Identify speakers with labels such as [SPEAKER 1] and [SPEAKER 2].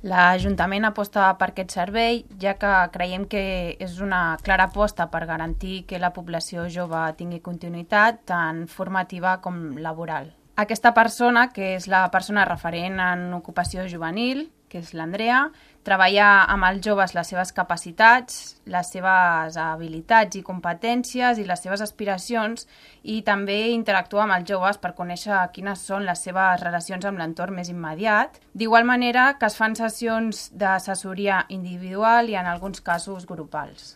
[SPEAKER 1] L'Ajuntament aposta per aquest servei, ja que creiem que és una clara aposta per garantir que la població jove tingui continuïtat tant formativa com laboral. Aquesta persona, que és la persona referent en ocupació juvenil, que és l'Andrea, treballa amb els joves les seves capacitats, les seves habilitats i competències i les seves aspiracions, i també interactua amb els joves per conèixer quines són les seves relacions amb l'entorn més immediat. D'igual manera que es fan sessions d'assessoria individual i en alguns casos grupals.